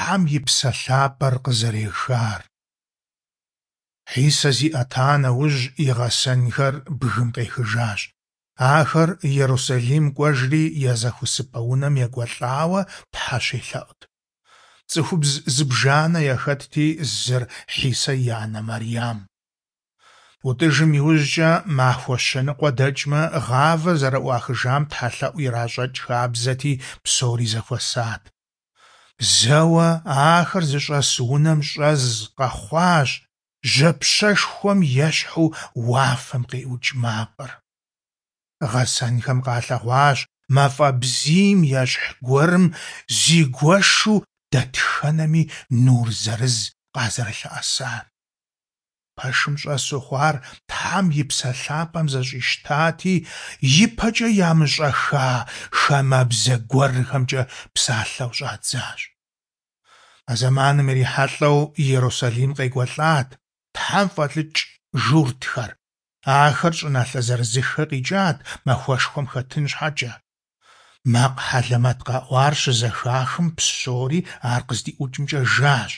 Тхьэм и Псэ Лъапӏэр къызэрехар. Хьисэ зиӏэта нэужь, и гъэсэнхэр бгым къехыжащ. Ахэр Ерусалим кӏуэжри я зэхуэсыпӏэ унэм екӏуэлӏауэ Тхьэ щелъэӏут. Цӏыхубз зыбжанэ яхэтти, зыр Хьисэ и анэ Мэрям. ӀутӀыжым иужькӀэ махуэ щэ ныкъуэ дэкӀмэ, гъавэр зэрыӀуахыжам тхьэлъэӀу иращӀэкӀ хабзэти, псори зэхуэсат. Зэуэ ахэр зыщӀэс унэм щӀэз къэхъуащ жьапщэшхуэм ещхьу уафэм къиӀукӀ макъыр. Гъэсэнхэм къалъэгъуащ мафӀэ бзийм ещхь гуэрым зигуэшу дэтхэнэми нур зырыз къазэрылъэӀэсар. Пэшым щӀэсу хъуар Тхьэм и Псэ ЛъапӀэм зэщӀищтати, ипэкӀэ ямыщӀэхха хамэбзэ гуэрхэмкӀэ псалъэу щӀадзащ. А зэманым ирихьэлӀэу Ерусалим къекӀуэлӀат Тхьэм фӀэлӀыкӀ журтхэр. Ахэр щӀыналъэ зырызыххэ къикӀат махуэшхуэм хэтын щхьэкӀэ. Макъ хьэлэмэт къэӀуар щызэхахым, псори ар къыздиӀукӀымкӀэ жащ.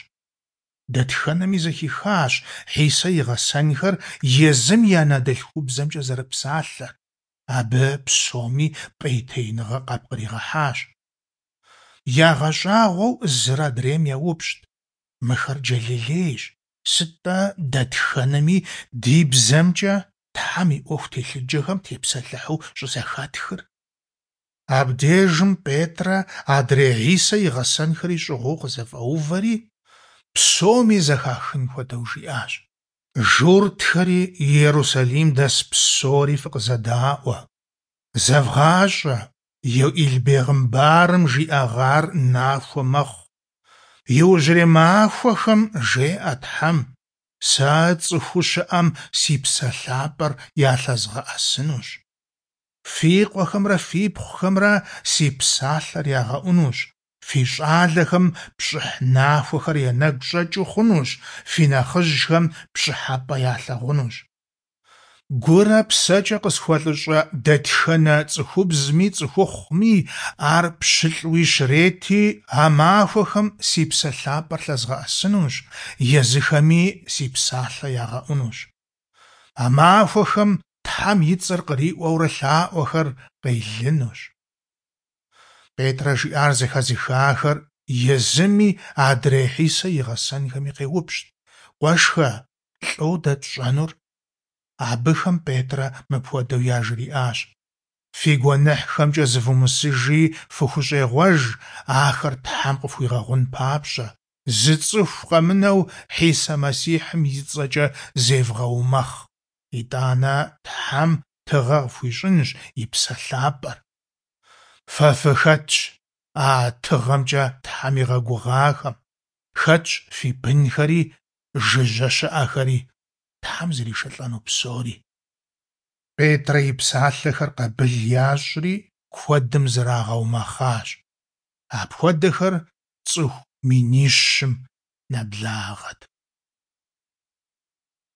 Дэтхэнэми зэхихащ Хьисэ и гъэсэнхэр езым и анэдэлъхубзэмкӀэ зэрыпсалъэр. Абы псоми пӀейтеиныгъэ къапкъригъэхьащ. ЯгъэщӀагъуэу зыр адрейм еупщӀт: Мыхэр джэлилейщ, сыт-тӀэ дэтхэнэми ди бзэмкӀэ Тхьэм и Ӏуэху телъыджэхэм тепсэлъыхьу щӀызэхэтхыр? Абдежым Петӏрэ адрей Хьисэ и гъэсэнхэри щӀыгъуу къызэфӀэувэри, псоми зэхахын хуэдэу жиӏащ: Журтхэри Иерусалим дэс псори фыкъызэдаӀуэ. ЗэвгъащӀэ, Иоил бегъымбарым жиӀэгъар нахуэ мэхъу. Иужьрей махуэхэм, жеӀэ Тхьэм, сэ цӀыхуу щыӀэм си Псэ ЛъапӀэр ялъэзгъэӀэсынущ. Фи къуэхэмрэ фипхъухэмрэ си псалъэр ягъэӀунущ, фи щӀалэхэм пщӀыхь нахуэхэр я нэгу щӀэкӀыу хъунущ, фи нэхъыжьхэм пщӀыхьэпӀэ ялъагъунущ. Гурэ псэкӀэ къысхуэлӀыщӀэ дэтхэнэ цӀыхубзми цӀыхухъуми, ар пщылӀуи щрети, а махуэхэм си Псэ ЛъапӀэр лъэзгъэӀэсынущ, езыхэми си псалъэ ягъэӀунущ. А махуэхэм Тхьэм и цӀэр къриӀуэурэ лъаӀуэхэр къелынущ. Петӏрэ жиӀар зэхэзыхахэр езыми адрей Хьисэ и гъэсэнхэми къеупщӀт: Къуэшхэ, лӀо дэ тщӀэнур? Абыхэм Петӏрэ мыпхуэдэу яжриӀащ: Фи гуэныхьхэмкӀэ зывумысыжи фыхущӀегъуэж, ахэр Тхьэм къыфхуигъэгъун папщӀэ. Зы цӀыху къэмынэу Хьисэ Мэссихьым и цӀэкӀэ зевгъэумэхъ. ИтӀанэ Тхьэм тыгъэ къыфхуищӀынщ и Псэ ЛъапӀэр. Фэ фыхэтщ а тыгъэмкӀэ Тхьэм игъэгугъахэм, хэтщ фи бынхэри, жыжьэ щыӀэхэри, Тхьэм зришэлӀэну псори. Петӏрэ и псалъэхэр къабыл ящӀри, куэдым зрагъэумэхъащ. Апхуэдэхэр цӀыху минищым нэблагъэт.